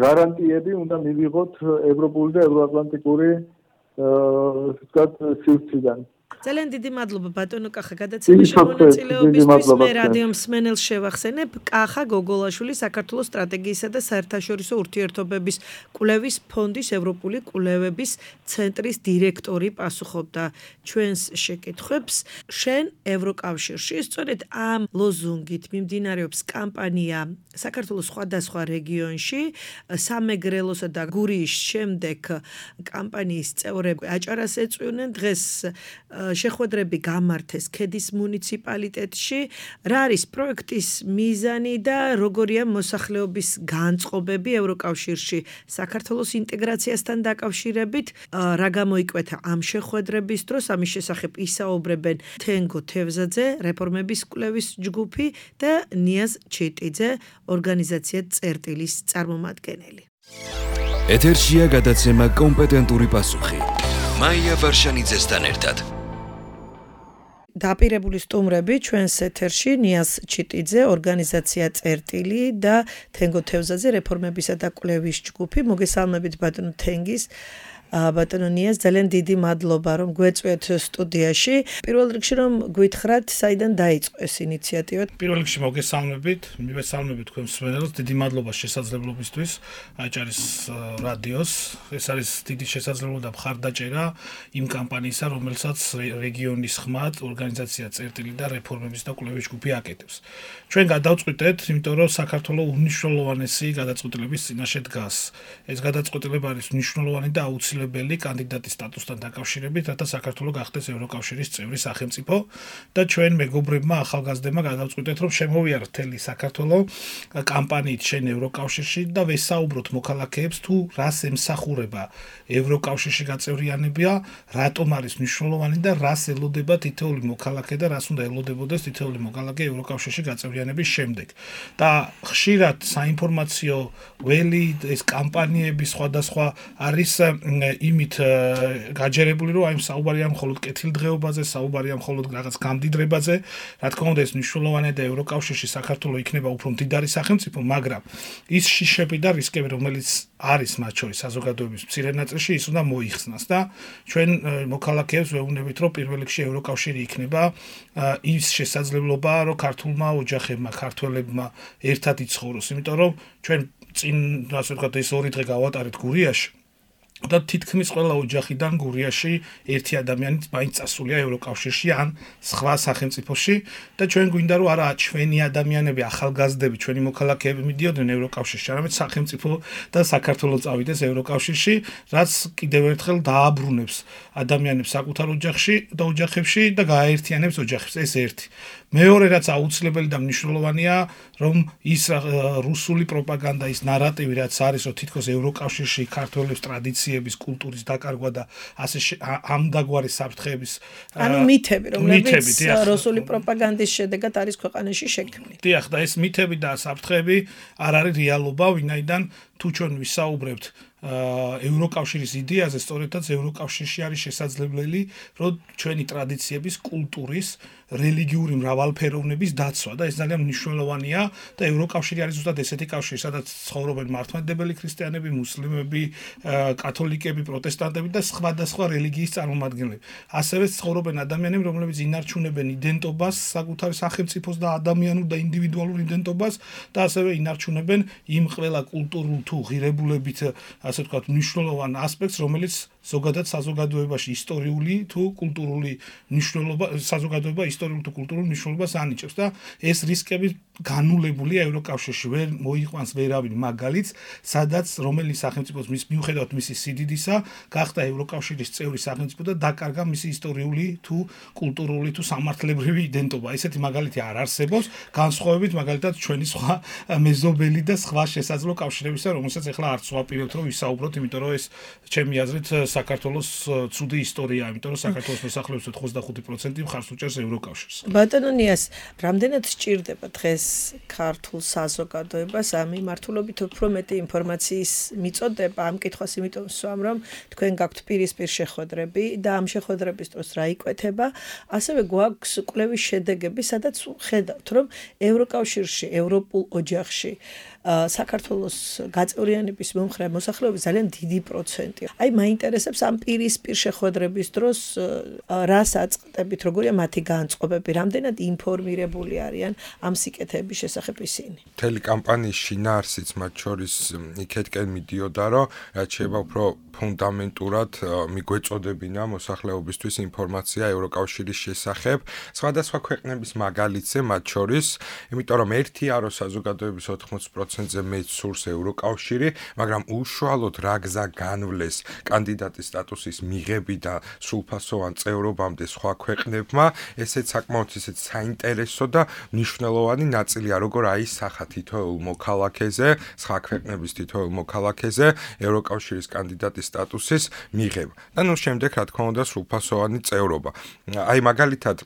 გარანტიები უნდა მივიღოთ ევროპული და ევროატლანტიკური ესე ვთქვათ, სივრციდან. ძალიან დიდი მადლობა ბატონო კახა გადაცემაში მონაწილეობისთვის. მე რადიო მსმენელს შევახსენებ, კახა გოგოლაშვილი საქართველოს სტრატეგიისა და საერთაშორისო ურთიერთობების კვლევის ფონდის ევროპული კვლევების ცენტრის დირექტორი პასუხობდა ჩვენს შეკითხვებს. შენ ევროკავშირში, სწორედ ამ ლოზუნგით მიმდინარეობს კამპანია საქართველოს სხვადასხვა რეგიონში, სამეგრელოსა და გურიის შემდეგ კამპანიის წევრები აჭარას ეწვივნენ. დღეს შეხვედრები გამართეს ქედის მუნიციპალიტეტში. რა არის პროექტის მიზანი და როგორია მოსახლეობის განწყობები ევროკავშირში საქართველოს ინტეგრაციასთან დაკავშირებით? რა გამოიკვეთა ამ შეხვედრების დროს? ამის შესახებ ისაუბრებენ თენგო თევზაძე, რეფორმების კვლევის ჯგუფი და ნიაზ ჩიტიძე, ორგანიზაცია წერტილის წარმომადგენელი. ეთერშია გადაცემა კომპეტენტური პასუხი. მაია ვარშანიძესთან ერთად. დაპირებული სტუმრები ჩვენს ეთერში ნიაზ ჩიტიძე, ორგანიზაცია წერტილი და თენგო თევზაძე, რეფორმებისა და კვლევის ჯგუფი. მოგესალმებით ბატონო თენგის, ბატონო ნიაზ, ძალიან დიდი მადლობა რომ გვეწვიეთ სტუდიაში. პირველ რიგში რომ გვითხრათ, საიდან დაიწყო ეს ინიციატივა? პირველ რიგში მოგესალმებით, მივესალმებით თქვენ მსმენელს, დიდი მადლობა შესაძლებლობისთვის აჭარის რადიოს. ეს არის დიდი შესაძლებლობა და მხარდაჭერა იმ კამპანიისა, რომელსაც რეგიონის ხმად ორგანიზაცია წერტილი და რეფორმების და კვლევის ჯგუფი აკეთებს. ჩვენ გადავწყვიტეთ, იმიტომ რომ საქართველოს უმნიშვნელოვანესი გადაწყვეტილების წინაშე დგას. ეს გადაწყვეტილება არის მნიშვნელოვანი და აუცილებელი კანდიდატის სტატუსთან დაკავშირებით, რათა საქართველოს გახდეს ევროკავშირის წევრი სახელმწიფო და ჩვენ მეგობრებმა ახალგაზრდებმა გადავწყვიტეთ, რომ შემოვიაროთ მთელი საქართველოს კამპანიით შენ ევროკავშირში და ვესაუბროთ მოქალაქეებს თუ რას ემსახურება ევროკავშირში გაწევრიანება, რატომ არის მნიშვნელოვანი და რას ელოდება თითოეული მოქალაქე და რას უნდა ელოდებოდეს თითოეული მოქალაქე ევროკავშირში გაწევრიანების შემდეგ. და ხშირად საინფორმაციო ველი ეს კამპანიები სხვადასხვა არის იმით გაჯერებული, რომ აი საუბარია მხოლოდ კეთილდღეობაზე, საუბარია მხოლოდ რაღაც გამდიდრებაზე, რა თქმა უნდა ეს მნიშვნელოვანია და ევროკავშირში საქართველოს იქნება უფრო მდიდარი სახელმწიფო, მაგრამ ის შიშები და რისკები, რომელიც არის მათ შორის საზოგადოების მცირე ნაწილში, ის უნდა მოიხსნას და ჩვენ მოქალაქეებს ვეუბნებით, რომ პირველ რიგში ევროკავშირი იქნება ის შესაძლებლობა, რომ ქართულმა ოჯახებმა, ქართველებმა ერთად იცხოვროს, იმიტომ რომ ჩვენ წინ ასე ვთქვათ ეს ორი დღე გავატარეთ გურიაში და თითქმის ყველა ოჯახიდან გურიაში ერთი ადამიანი მაინც წასულია ევროკავშირში ან სხვა სახელმწიფოში და ჩვენ გვინდა რომ არა ჩვენი ადამიანები ახალგაზრდები ჩვენი მოქალაქეები მიდიოდნენ ევროკავშირში არამედ სახელმწიფო და საქართველოს წავიდეს ევროკავშირში რაც კიდევ ერთხელ დააბრუნებს ადამიანებს საკუთარ ოჯახში და ოჯახებში და გააერთიანებს ოჯახებს ეს ერთი მეორე რაც აუცილებელი და მნიშვნელოვანია რომ ის რუსული პროპაგანდა ის ნარატივი რაც არის რომ თითქოს ევროკავშირში ქართველებს ტრადიციების კულტურის დაკარგვა და ასე ამდაგვარი საფრთხეების ანუ მითები რომლებიც რუსული პროპაგანდის შედეგად არის ქვეყანაში შექმნილი. დიახ და ეს მითები და საფრთხეები არ არის რეალობა ვინაიდან თუ ჩვენ ვისაუბრებთ ევროკავშირის იდეაზე სწორედაც ევროკავშირში არის შესაძლებელი რომ ჩვენი ტრადიციების კულტურის რელიგიური მრავალფეროვნების დაცვა და ეს ძალიან მნიშვნელოვანია და ევროკავშირი არის ზუსტად ესეთი კავშირი სადაც ცხოვრობენ მართლმადიდებელი ქრისტიანები, მუსლიმები, კათოლიკები, პროტესტანტები და სხვადასხვა რელიგიის წარმომადგენლები. ასევე ცხოვრობენ ადამიანები, რომლებიც ინარჩუნებენ იდენტობას, საკუთარი სახელმწიფოს და ადამიანურ და ინდივიდუალურ იდენტობას და ასევე ინარჩუნებენ იმ ყველა კულტურულ თუ ღირებულებით ასე ვთქვათ მნიშვნელოვან ასპექტს, რომელიც ზოგადად საზოგადოებაში ისტორიული თუ კულტურული მნიშვნელობა საზოგადოება ისტორიულ თუ კულტურულ მნიშვნელობას ანიჭებს და ეს რისკები განულებულია ევროკავშირში ვერ მოიყვანს ვერავინ მაგალითს სადაც რომელი სახელმწიფოს მის მიუხედავად მისი სიდიდისა გახდა ევროკავშირის წევრი სახელმწიფო და დაკარგა მისი ისტორიული თუ კულტურული თუ სამართლებრივი იდენტობა ესეთი მაგალითი არ არსებობს განსხვავებით მაგალითად ჩვენი სხვა მეზობელი და სხვა შესაძლო კავშირებისა რომელსაც ახლა არც ვაპირებთ რომ ვისაუბროთ იმიტომ რომ ეს ჩემი აზრით საქართველოს ცუდი ისტორიაა იმიტომ რომ საქართველოს მოსახლეობის ოცდახუთი პროცენტი მხარს უჭერს ევროკავშირს. ბატონო ნიას, რამდენად სჭირდება დღეს ქართულ საზოგადოებას ამ მიმართულებით უფრო მეტი ინფორმაციის მიწოდება ამ კითხვას იმიტომ ვსვამ რომ თქვენ გაქვთ პირისპირ შეხვედრები და ამ შეხვედრების დროს რა იკვეთება, ასევე გვაქვს კვლევის შედეგები, სადაც ხედავთ რომ ევროკავშირში, ევროპულ ოჯახში საქართველოს გაწევრიანების მომხრე მოსახლეობის ძალიან დიდი პროცენტი. აი მაინტერესებს ამ პირისპირ შეხვედრების დროს რას აწყდებით, როგორია მათი განწყობები, რამდენად ინფორმირებული არიან ამ სიკეთეების შესახებ ისინი. მთელი კამპანიის შინაარსიც მათ შორის იქეთკენ მიდიოდა, რომ რაც შეიძლება უფრო ფუნდამენტურად მიგვეწოდებინა მოსახლეობისთვის ინფორმაცია ევროკავშირის შესახებ, სხვადასხვა ქვეყნების მაგალითზე მათ შორის, იმიტომ რომ ერთია რომ საზოგადოების ოთხმოცი პროცენტზე მეტ სურს ევროკავშირი, მაგრამ უშუალოდ რა გზა განვლეს კანდიდატის სტატუსის მიღებიდან სრულფასოვან წევრობამდე სხვა ქვეყნებმა, ესეც საკმაოდ ისეთ საინტერესო და მნიშვნელოვანი ნაწილია, როგორ აისახა თითოეულ მოქალაქეზე, სხვა ქვეყნების თითოეულ მოქალაქეზე ევროკავშირის კანდიდატის სტატუსის მიღება. და ნუ შემდეგ რა თქმა უნდა სრულფასოვანი წევრობა. აი მაგალითად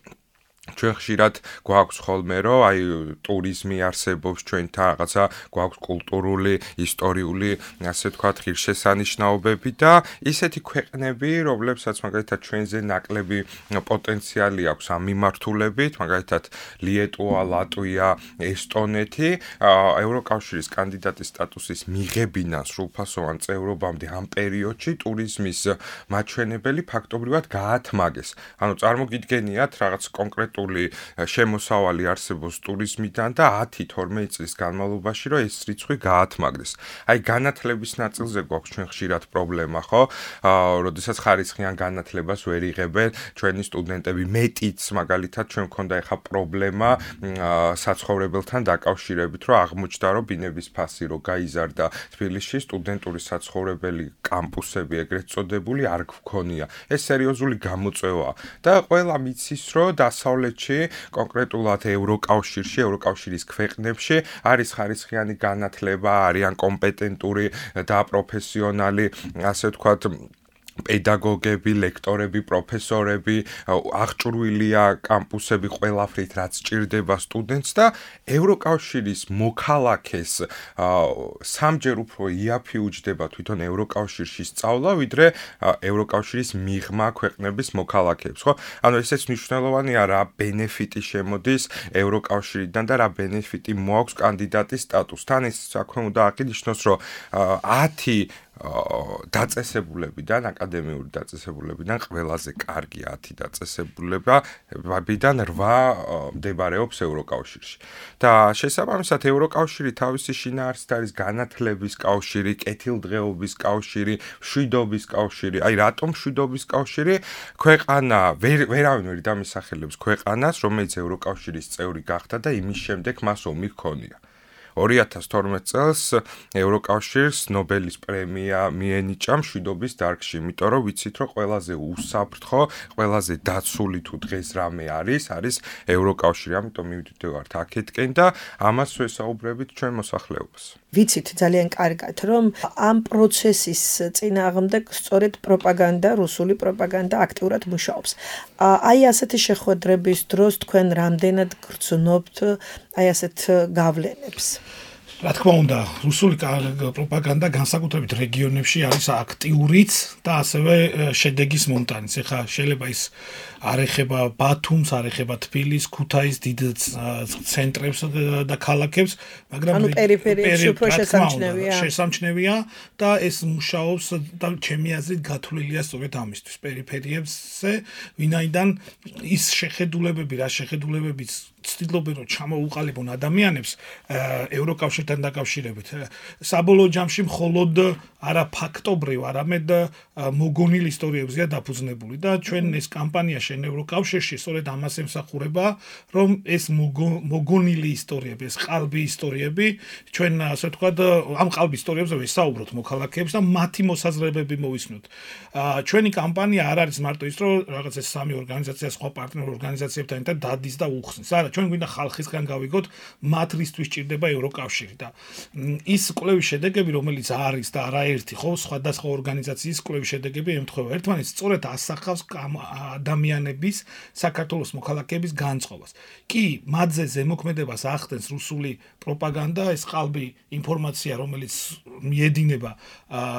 ჩვენ ხშირად გვაქვს ხოლმე რომ აი ტურიზმი არსებობს ჩვენთან რაღაცა გვაქვს კულტურული, ისტორიული, ასე ვთქვათ, ღირსშესანიშნაობები და ისეთი ქვეყნები, რომლებსაც მაგალითად ჩვენზე ნაკლები პოტენციალი აქვს ამ მიმართულებით, მაგალითად ლიეტუვა, ლატვია, ესტონეთი, ევროკავშირის კანდიდატის სტატუსის მიღებიდან სრულფასოვან წევრობამდე ამ პერიოდში ტურიზმის მაჩვენებელი ფაქტობრივად გაათმაგეს. ანუ წარმოგიდგენიათ რაღაც კონკრეტული შემოსავალი არსებობს ტურიზმიდან და ათი თორმეტი წლის განმავლობაში რომ ეს რიცხვი გაათმაგდეს. აი განათლების ნაწილზე გვაქვს ჩვენ ხშირად პრობლემა, ხო? აა, როდესაც ხარისხიან განათლებას ვერ იღებენ ჩვენი სტუდენტები, მეტიც მაგალითად ჩვენ მქონდა ეხა პრობლემა საცხოვრებელთან დაკავშირებით, რომ აღმოჩნდა რომ ბინების ფასი რო გაიზარდა თბილისში, სტუდენტური საცხოვრებელი კამპუსები ეგრეთ წოდებული არ გვქონია. ეს სერიოზული გამოწვევაა და ყველა მიცის რომ დასავლეთ კონკრეტულად ევროკავშირში, ევროკავშირის ქვეყნებში არის ხარისხიანი განათლება, არიან კომპეტენტური და პროფესიონალი, ასე ვთქვათ, პედაგოგები, ლექტორები, პროფესორები, აღჭურვილია კამპუსები ყველაფრით, რაც ჭირდება სტუდენტს და ევროკავშირის მოქალაქეს სამჯერ უფრო იაფი უჯდება თვითონ ევროკავშირში სწავლა, ვიდრე ევროკავშირის მიღმა ქვეყნების მოქალაქეებს, ხო? ანუ ესეც მნიშვნელოვანია, რა ბენეფიტი შემოდის ევროკავშირიდან და რა ბენეფიტი მოაქვს კანდიდატის სტატუსთან. ის საქმე უნდა აღინიშნოს, რომ ათი დაწესებულებიდან, აკადემიური დაწესებულებიდან ყველაზე კარგი ათი დაწესებულებიდან რვა მდებარეობს ევროკავშირში. და შესაბამისად ევროკავშირი თავისი შინაარსით არის განათლების კავშირი, კეთილდღეობის კავშირი, მშვიდობის კავშირი. აი რატომ მშვიდობის კავშირი? ქვეყანა ვერავინ ვერ დამისახელებს ქვეყანას, რომელიც ევროკავშირის წევრი გახდა და იმის შემდეგ მას ომი ჰქონია. ორი ათას თორმეტ წელს ევროკავშირს ნობელის პრემია მიენიჭა მშვიდობის დარგში, იმიტომ რომ ვიცით, რომ ყველაზე უსაფრთხო, ყველაზე დაცული თუ დღეს რამე არის, არის ევროკავშირი. ამიტომ მივდივართ აქეთკენ და ამას ვესაუბრებით ჩვენ მოსახლეობას. ვიცით ძალიან კარგად, რომ ამ პროცესის წინააღმდეგ სწორედ პროპაგანდა, რუსული პროპაგანდა აქტიურად მუშაობს. აი ასეთი შეხვედრების დროს თქვენ რამდენად გრძნობთ აი ასეთ გავლენებს? რა თქმა უნდა, რუსული პროპაგანდა განსაკუთრებით რეგიონებში არის აქტიურიც და ასევე შედეგის მომტანიც. ეხლა შეიძლება ის არ ეხება ბათუმს, არ ეხება თბილისს, ქუთაისს, დიდ ცენტრებს და ქალაქებს, მაგრამ ანუ პერიფერიებში უფრო შესამჩნევია. შესამჩნევია და ეს მუშაობს და ჩემი აზრით გათვლილია სწორედ ამისთვის, პერიფერიებზე, ვინაიდან ის შეხედულებები, რა შეხედულებებიც ცდილობენ რომ ჩამოუყალიბონ ადამიანებს ევროკავშირთან დაკავშირებით. საბოლოო ჯამში მხოლოდ არა ფაქტობრივ, არამედ მოგონილ ისტორიებზეა დაფუძნებული და ჩვენ ეს კამპანია შენ ევროკავშირში სწორედ ამას ემსახურება, რომ ეს მოგონილი ისტორიები, ეს ყალბი ისტორიები, ჩვენ ასე ვთქვათ, ამ ყალბი ისტორიებზე ვესაუბროთ მოქალაქეებს და მათი მოსაზრებები მოვისმოთ. ჩვენი კამპანია არ არის მარტო ის, რომ რაღაც ეს სამი ორგანიზაცია, სხვა პარტნიორ ორგანიზაციებთან ერთად დადის და უხსნის. არა, ჩვენ გვინდა ხალხისგან გავიგოთ, მათ რისთვის ჭირდება ევროკავშირი და ის კვლევის შედეგები, რომელიც არის და არაერთი, ხო, სხვადასხვა ორგანიზაციის კვლევის შედეგები ემთხვევა ერთმანეთს, სწორედ ასახავს ადამიანების, საქართველოს მოქალაქეების განწყობას. კი, მათზე ზემოქმედებას ახდენს რუსული პროპაგანდა, ეს ყალბი ინფორმაცია, რომელიც მიედინება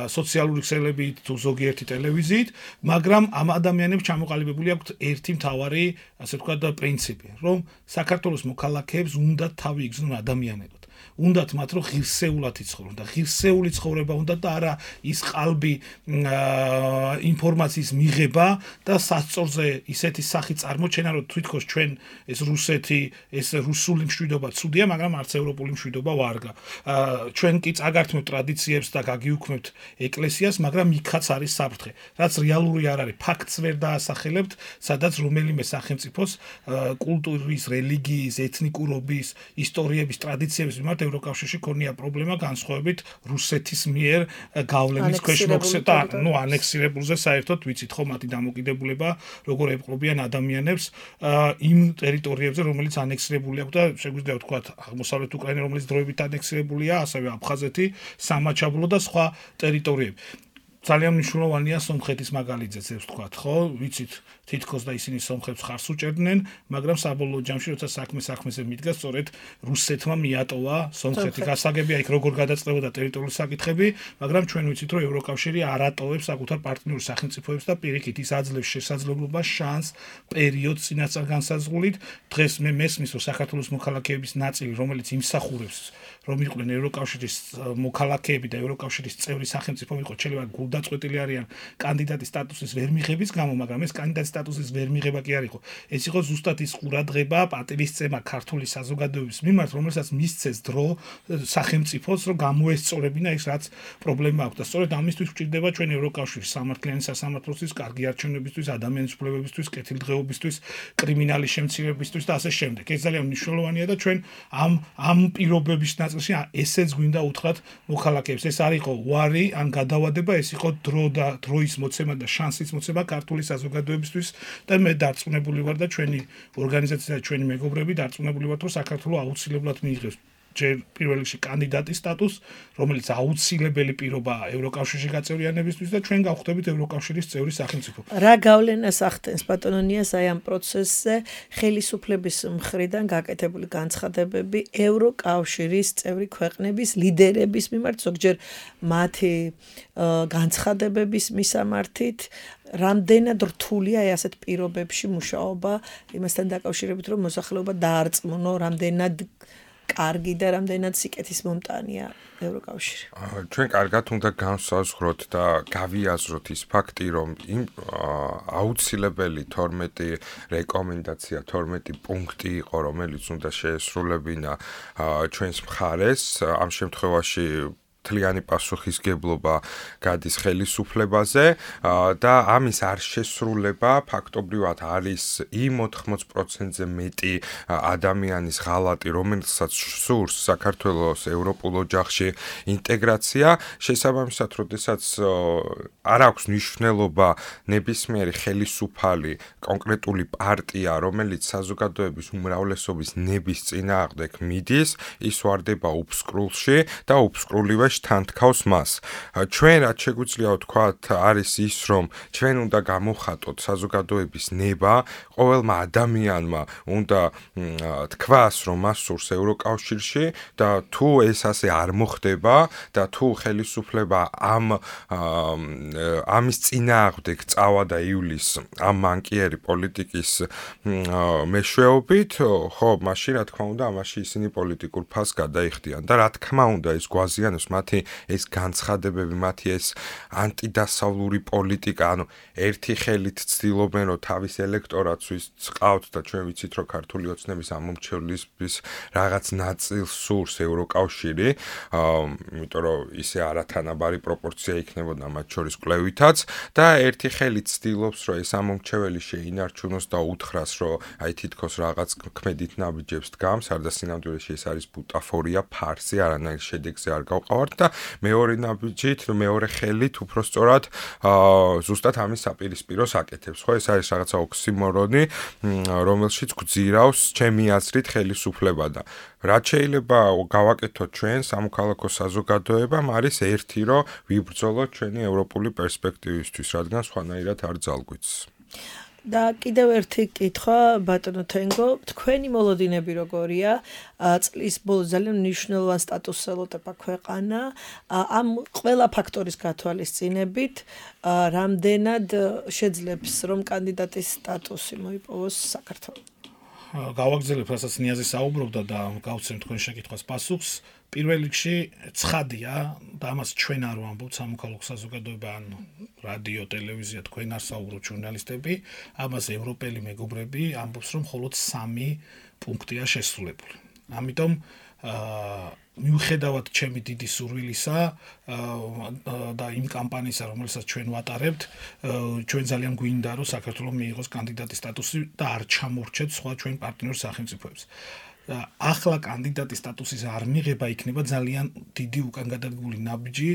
სოციალური ქსელებით თუ ზოგიერთი ტელევიზიით, მაგრამ ამ ადამიანებს ჩამოყალიბებული აქვთ ერთი მთავარი, ასე ვთქვათ, პრინციპი, რომ საქართველოს მოქალაქეებს უნდა თავი იგრძნონ ადამიანებად. უნდათ მათ რომ ღირსეულად იცხოვრონ და ღირსეული ცხოვრება უნდათ და არა ის ყალბი ინფორმაციის მიღება და სასწორზე ისეთი სახი წარმოჩენა რომ თვითონ ჩვენ ეს რუსეთი ეს რუსული მშვიდობა ცუდია, მაგრამ არც ევროპული მშვიდობა ვარგა. ჩვენ კი წაგართმევთ ტრადიციებს და გაგიუქმებთ ეკლესიას, მაგრამ იქაც არის საფრთხე. რაც რეალური არ არის, ფაქტს ვერ დაასახელებთ, სადაც რომელიმე სახელმწიფოს კულტურის, რელიგიის, ეთნიკურობის, ისტორიების, ტრადიციების მიმართ ევროკავშირში ქონია პრობლემა განსხვავებით რუსეთის მიერ გავლენის ქვეშ მოქცევა, ну ანექსირებულზე საერთოდ ვიცით ხო მათი დამოკიდებულება, როგორ ეპყრობიან ადამიანებს იმ ტერიტორიებზე, რომელიც ანექსირებული აქვს და შეგვიძლია ვთქვათ აღმოსავლეთ უკრაინა, რომელიც დროებით ანექსირებულია, ასევე აფხაზეთი, სამაჩაბლო და სხვა ტერიტორიები. ძალიან მნიშვნელოვანია სომხეთის მაგალითზეც ეს ვთქვათ, ხო? ვიცით თითქოს და ისინი სომხებს ხარს უჭერდნენ, მაგრამ საბოლოო ჯამში როცა საქმე საქმეზე მიდგა, სწორედ რუსეთმა მიატოვა სომხეთი. გასაგებია იქ როგორ გადაწყდებოდა ტერიტორიული საკითხები, მაგრამ ჩვენ ვიცით, რომ ევროკავშირი არ ატოვებს საკუთარ პარტნიორ სახელმწიფოებს და პირიქით ის აძლევს შესაძლებლობას, შანსს, პერიოდს წინასწარ განსაზღვრით. დღეს მე მესმის, რომ საქართველოს მოქალაქეების ნაწილი, რომელიც იმსახურებს, რომ იყვნენ ევროკავშირის მოქალაქეები და ევროკავშირის წევრი სახელმწიფო იყო, შეიძლება გულდაწყვეტილი არიან კანდიდატის სტატუსის ვერ მიღების გამო, მაგრამ ეს კანდიდატის სტატუსის ვერ მიღება კი არ იყო. ეს იყო ზუსტად ის ყურადღება, პატივისცემა ქართული საზოგადოების მიმართ, რომელსაც მისცეს დრო სახელმწიფოს, რომ გამოესწორებინა ის რაც პრობლემა აქვს და სწორედ ამისთვის გვჭირდება ჩვენ ევროკავშირის სამართლიანი სასამართლოსთვის, კარგი არჩევნებისთვის, ადამიანის უფლებებისთვის, კეთილდღეობისთვის, კრიმინალის შემცირებისთვის და ასე შემდეგ. ეს ძალიან მნიშვნელოვანია და ჩვენ ამ ამ პირობების ნაწილში ესეც გვინდა უთხრათ მოქალაქეებს. ეს არ იყო უარი ან გადავადება, ეს იყო დრო და დროის მოცემა და შანსის მოცემა ქართული საზოგადოებისთვის და მე დარწმუნებული ვარ და ჩვენი ორგანიზაცია და ჩვენი მეგობრები დარწმუნებული ვართ, რომ საქართველოს აუცილებლად მიიღებს ჯერ პირველ რიგში კანდიდატის სტატუსს, რომელიც აუცილებელი პირობაა ევროკავშირში გაწევრიანებისთვის და ჩვენ გავხდებით ევროკავშირის წევრი სახელმწიფო. რა გავლენას ახდენს ბატონო ნიას აი ამ პროცესზე ხელისუფლების მხრიდან გაკეთებული განცხადებები ევროკავშირის წევრი ქვეყნების ლიდერების მიმართ, ზოგჯერ მათი განცხადებების მისამართით, რამდენად რთულია აი ასეთ პირობებში მუშაობა იმასთან დაკავშირებით, რომ მოსახლეობა დაარწმუნო, რამდენად კარგი და რამდენად სიკეთის მომტანია ევროკავშირი. ჩვენ კარგად უნდა განსაზღვროთ და გავიაზროთ ის ფაქტი, რომ იმ აუცილებელი თორმეტი რეკომენდაცია, თორმეტი პუნქტი იყო, რომელიც უნდა შეესრულებინა ჩვენს მხარეს, ამ შემთხვევაში თლიანი პასუხისგებლობა გადის ხელისუფლებაზე და ამის არ შესრულება ფაქტობრივად არის იმ ოთხმოც პროცენტზე მეტი ადამიანის ღალატი, რომელსაც სურს საქართველოს ევროპულ ოჯახში ინტეგრაცია, შესაბამისად, როდესაც არ აქვს მნიშვნელობა ნებისმიერი ხელისუფალი კონკრეტული პარტია, რომელიც საზოგადოების უმრავლესობის ნების წინააღმდეგ მიდის, ის ვარდება უფსკრულში და უფსკრულივე თანთქავს მას. ჩვენ რაც შეგვიძლია ვთქვათ არის ის, რომ ჩვენ უნდა გამოვხატოთ საზოგადოების ნება, ყოველმა ადამიანმა უნდა თქვას, რომ მას სურს ევროკავშირში და თუ ეს ასე არ მოხდება და თუ ხელისუფლება ამ ამის წინააღმდეგ წავა და ივლის ამ მანკიერი პოლიტიკის მეშვეობით, ხო, მაშინ რა თქმა უნდა, ამაში ისინი პოლიტიკურ ფასს გადაიხდიან და რა თქმა უნდა ეს გვაზიანებს მათი ეს განცხადებები, მათი ეს ანტიდასავლური პოლიტიკა, ანუ ერთი ხელით ცდილობენ, რომ თავის ელექტორატს ვისწყავთ და ჩვენ ვიცით, რომ ქართული ოცნების ამომრჩევლის რაღაც ნაწილს სურს ევროკავშირი, იმიტომ რომ ისე არათანაბარი პროპორცია იქნებოდა მათ შორის კვლევითაც და ერთი ხელით ცდილობს, რომ ეს ამომრჩეველი შეინარჩუნოს და უთხრას, რომ აი თითქოს რაღაც ქმედით ნაბიჯებს დგამს, არდა სინამდვილეში ეს არის ბუტაფორია, ფარსი, არანაირ შედეგზე არ გავყავართ და მეორე ნაბიჯით, მეორე ხელით უпростоრად ზუსტად ამის საპირისპიროს აკეთებს. ხო, ეს არის რაღაცა ოქსიმორონი, რომელშიც გვძირავს ჩემი აზრით ხელისუფლება და რაც შეიძლება გავაკეთოთ ჩვენ სამოქალაქო საზოგადოებამ არის ერთი, რომ ვიბრძოლოთ ჩვენი ევროპული პერსპექტივისთვის, რადგან სხვანაირად არ ძალგვიც. და კიდევ ერთი კითხვა ბატონო თენგო, თქვენი მოლოდინები როგორია? წლის ბოლოს ძალიან მნიშვნელოვან სტატუსს ელოდება ქვეყანა, ამ ყველა ფაქტორის გათვალისწინებით, რამდენად შეძლებს რომ კანდიდატის სტატუსი მოიპოვოს საქართველოს? გავაგზავნებ, რასაც ნიაზი საუბრობდა და გავცემ თქვენ შეკითხვას პასუხს. პირველ რიგში ცხადია და ამას ჩვენ არ ვამბობთ სამოქალაქო საზოგადოება ან რადიო, ტელევიზია, თქვენ არ საუბრობთ ჟურნალისტები, ამას ევროპელი მეგობრები ამბობს, რომ მხოლოდ სამი პუნქტია შესრულებული. ამიტომ მიუხედავად ჩემი დიდი სურვილისა და იმ კამპანიისა, რომელსაც ჩვენ ვატარებთ, ჩვენ ძალიან გვინდა, რომ საქართველოს მიიღოს კანდიდატის სტატუსი და არ ჩამორჩეთ სხვა ჩვენ პარტნიორ სახელმწიფოებს. ახლა კანდიდატის სტატუსის არ მიღება იქნება ძალიან დიდი უკან გადადგმული ნაბიჯი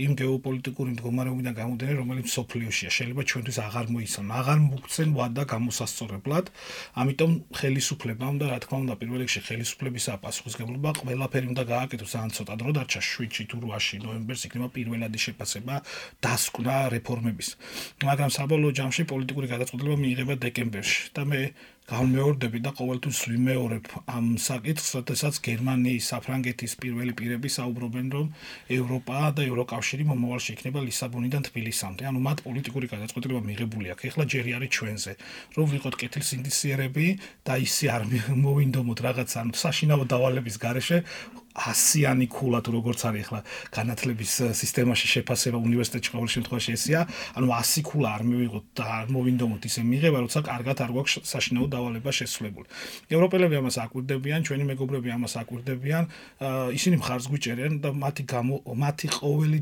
იმ გეოპოლიტიკური მდგომარეობიდან გამომდინარე, რომელიც სოფლიოშია. შეიძლება ჩვენთვის აღარ მოიცან, აღარ მოგცენ ვადა გამოსასწორებლად, ამიტომ ხელისუფლებამ და რა თქმა უნდა პირველ რიგში ხელისუფლებისა პასუხისმგებლობა ყველაფერი უნდა გააკეთოს, ან ცოტა დრო დარჩა შვიდში თუ რვაში ნოემბერს იქნება პირველადი შეფასება დასკვნა რეფორმების. მაგრამ საბოლოო ჯამში პოლიტიკური გადაწყვეტილება მიიღება დეკემბერში და მე გამეორდები და ყოველთვის ვიმეორებ ამ საკითხს, როდესაც გერმანიის, საფრანგეთის პირველი პირები საუბრობენ, რომ ევროპა და ევროკავშირი მომავალში იქნება ლისაბონიდან თბილისამდე. ანუ მათ პოლიტიკური გადაწყვეტილება მიღებული აქვს. ეხლა ჯერი არის ჩვენზე, რომ ვიყოთ კეთილსინდისიერები და ისე არ მოვინდომოთ რაღაც ან საშინაო დავალების გარეშე ასიანი ქულა თუ როგორც არის ახლა განათლების სისტემაში შეფასება უნივერსიტეტში ყოველ შემთხვევაში ესეა, ანუ ასი ქულა არ მივიღოთ და არ მოვინდომოთ ისე მიღება, როცა კარგად არ გვაქვს საშინაო დავალება შესრულებული. ევროპელები ამას აკვირდებიან, ჩვენი მეგობრები ამას აკვირდებიან, ისინი მხარს გვიჭერენ და მათი მათი ყოველი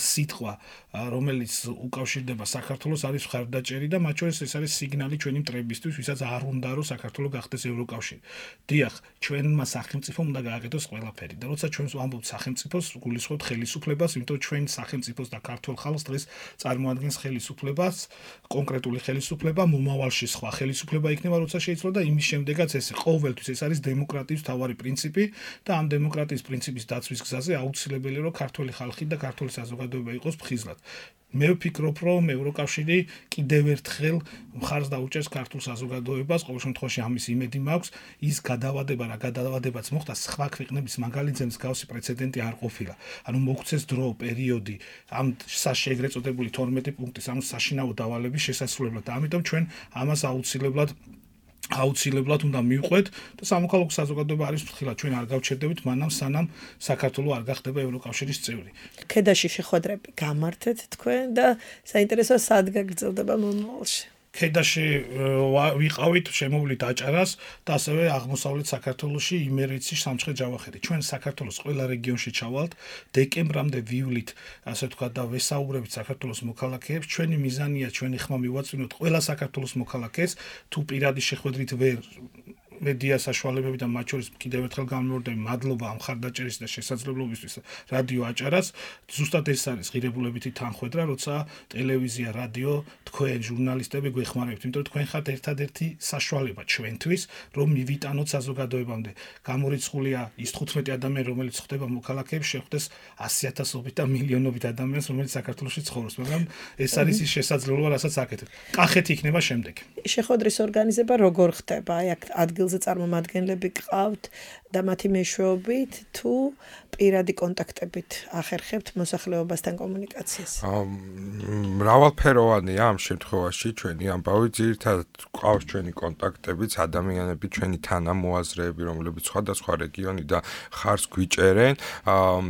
სიტყვა, რომელიც უკავშირდება საქართველოს, არის მხარდაჭერი და მათ შორის ეს არის სიგნალი ჩვენი მტრებისთვის, ვისაც არ უნდა რომ საქართველო გახდეს ევროკავშირი. დიახ, ჩვენმა სახელმწიფომ უნდა გააკეთოს ყველაფერი. ჯავახერი და როცა ჩვენ ვამბობთ სახელმწიფოს, გულისხმობთ ხელისუფლებას, იმიტომ რომ ჩვენ სახელმწიფოს და ქართულ ხალხს დღეს წარმოადგენს ხელისუფლებას, კონკრეტული ხელისუფლება, მომავალში სხვა ხელისუფლება იქნება, როცა შეიძლება და იმის შემდეგაც ეს ყოველთვის ეს არის დემოკრატიის მთავარი პრინციპი და ამ დემოკრატიის პრინციპის დაცვის გზაზე აუცილებელია რომ ქართული ხალხი და ქართული საზოგადოება იყოს ფხიზლად. მე ვფიქრობ, რომ ევროკავშირი კიდევ ერთხელ მხარს დაუჭერს ქართულ საზოგადოებას, ყოველ შემთხვევაში ამის იმედი მაქვს, ის გადავადება რა გადავადებაც მოხდა სხვა ქვეყნების მაგალითზე მსგავსი პრეცედენტი არ ყოფილა. ანუ მოგვცეს დრო, პერიოდი ამ საშეგრე წოდებული თორმეტი პუნქტის ამ საშინაო დავალების შესასრულებლად და ამიტომ ჩვენ ამას აუცილებლად აუცილებლად უნდა მივყვეთ და სამოქალაქო საზოგადოება არის ფრთხილად ჩვენ არ გავჩერდებით მანამ სანამ საქართველო არ გახდება ევროკავშირის წევრი. ქედაში შეხვედრები გამართეთ თქვენ და საინტერესოა სად გაგრძელდება მომავალში. ქედაში ვიყავით შემოვლით აჭარას და ასევე აღმოსავლეთ საქართველოში იმერეთის სამცხე ჯავახეთი. ჩვენ საქართველოს ყველა რეგიონში ჩავალთ, დეკემბრამდე ვივლით, ასე ვთქვათ და ვესაუბრებით საქართველოს მოქალაქეებს. ჩვენი მიზანია ჩვენი ხმა მივაწვინოთ ყველა საქართველოს მოქალაქეს, თუ პირადი შეხვედრით ვერ მედია საშუალებები და მათ შორის კიდევ ერთხელ გამოვარდნები მადლობა ამ ხარდაჭერის და შესაძლებლობისთვის რადიო აჭარას. ზუსტად ეს არის ღირებულებითი თანხმედრა, როცა ტელევიზია, რადიო, თქვენ ჟურნალისტები გვეხმარებთ, იმიტომ რომ თქვენ ხართ ერთადერთი საშუალება ჩვენთვის, რომ მივიტანოთ საზოგადოებამდე. გამორიცხულია ის თხუთმეტი ადამიანი, რომელიც ხდება მოქალაქეებს, შეხვდეს ასი ათასობით და მილიონობით ადამიანს, რომელიც საქართველოში ცხოვრობს, მაგრამ ეს არის ის შესაძლებლობა, რასაც აკეთებთ. კახეთი იქნება შემდეგ. შეხვედრის ორგანიზება როგორ ხდება? აი აქ ადგილზე წარმომადგენლები გყავთ და მათი მეშვეობით თუ პირადი კონტაქტებით ახერხებთ მოსახლეობასთან კომუნიკაციას? მრავალფეროვანია ამ შემთხვევაში ჩვენი ამბავი, ძირითადად ყავს ჩვენი კონტაქტებიც, ადამიანები, ჩვენი თანამოაზრეები, რომლებიც სხვადასხვა რეგიონი და ხარს გვიჭერენ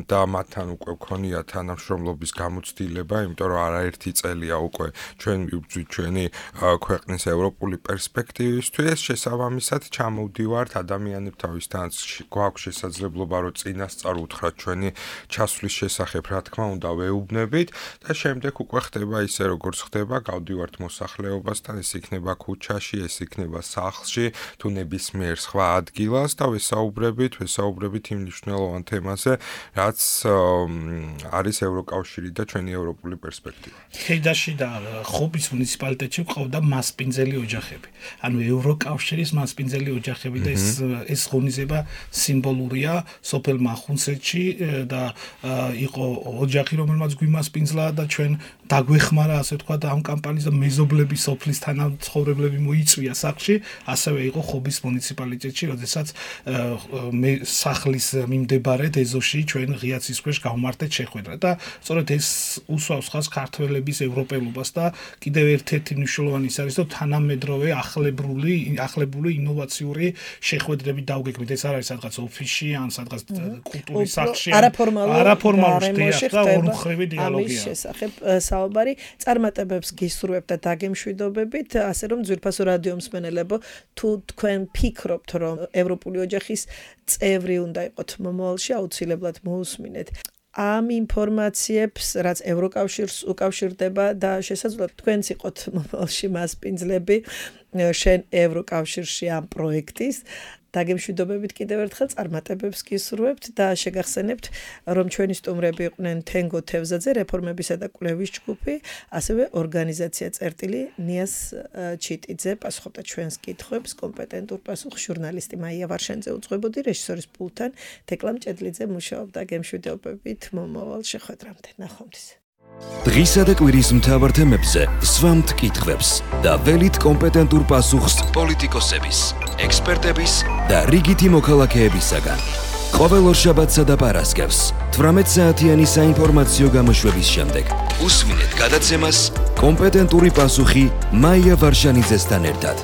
და მათთან უკვე გქონია თანამშრომლობის გამოცდილება, იმიტომ რომ არაერთი წელია უკვე ჩვენ მივბრძვით ჩვენი ქვეყნის ევროპული პერსპექტივისთვის, შესაბამისად ჩამოვდივართ ადამიანებთან გვაქვს შესაძლებლობა რომ წინასწარ უთხრათ ჩვენი ჩასვლის შესახებ, რა თქმა უნდა, ვეუბნებით და შემდეგ უკვე ხდება ისე როგორც ხდება, გავდივართ მოსახლეობასთან, ეს იქნება ქუჩაში, ეს იქნება სახლში, თუ ნებისმიერ სხვა ადგილას და ვესაუბრებით, ვესაუბრებით იმ მნიშვნელოვან თემაზე, რაც არის ევროკავშირი და ჩვენი ევროპული პერსპექტივა. ქედაში და ხობის მუნიციპალიტეტში ყავდა მასპინძელი ოჯახები. ანუ ევროკავშირის მასპინძელი ოჯახები და ეს ეს ღონისება სიმბოლურია სოფელ მახუნცეთში და იყო ოჯახი, რომელმაც გვიმასპინძლა და ჩვენ დაგვეხმარა, ასე ვთქვათ, ამ კამპანიის და მეზობლები სოფლის თანამცხოვრებლები მოიწვია სახლში, ასევე იყო ხობის მუნიციპალიტეტში, როდესაც მე სახლის მიმდებარე ეზოში ჩვენ ღიაცის ქვეშ გავმართეთ შეხვედრა და სწორედ ეს უსვავს ხაზს ქართველების ევროპელობას და კიდევ ერთ-ერთი მნიშვნელოვანი ის არის, რომ თანამედროვე ახლებრული ახლებული ინოვაციური შეხვედრები დავგეგმეთ. ეს არ არის სადღაც ოფისში ან სადღაც კულტურის სახლში, არაფორმალურ შეხება და ორმხრივი დიალოგია. ამის შესახებ საუბარი წარმატებებს გისურვებთ და დაგემშვიდობებით, ასე რომ ძვირფასო რადიო მსმენელებო, თუ თქვენ ფიქრობთ, რომ ევროპული ოჯახის წევრი უნდა იყოთ მომავალში, აუცილებლად მოусმინეთ ამ ინფორმაციებს, რაც ევროკავშირს უკავშირდება და შესაძლოა თქვენც იყოთ მომავალში მასპინძლები შენ ევროკავშირში ამ პროექტის. დაგემშვიდობებით კიდევ ერთხელ წარმატებებს გისურვებთ და შეგახსენებთ, რომ ჩვენი სტუმრები იყვნენ თენგო თევზაძე, რეფორმებისა და კვლევის ჯგუფი, ასევე ორგანიზაცია წერტილი ნიას ჩიტიძე პასუხობდა ჩვენს კითხვებს, კომპეტენტურ პასუხს ჟურნალისტი მაია ვარშანიძე უძღვებოდი, რეჟისორის პულტთან თეკლა მჭედლიძე მუშაობდა. გემშვიდობებით მომავალ შეხვედრამდე. ნახვამდის. დღისა და კვირის მთავარ თემებზე სვამთ კითხვებს და ველით კომპეტენტურ პასუხს პოლიტიკოსების, ექსპერტების და რიგითი მოქალაქეებისაგან. ყოველ ორშაბათსა და პარასკევს თვრამეტ საათიანი საინფორმაციო გამოშვების შემდეგ უსმინეთ გადაცემას კომპეტენტური პასუხი მაია ვარშანიძესთან ერთად.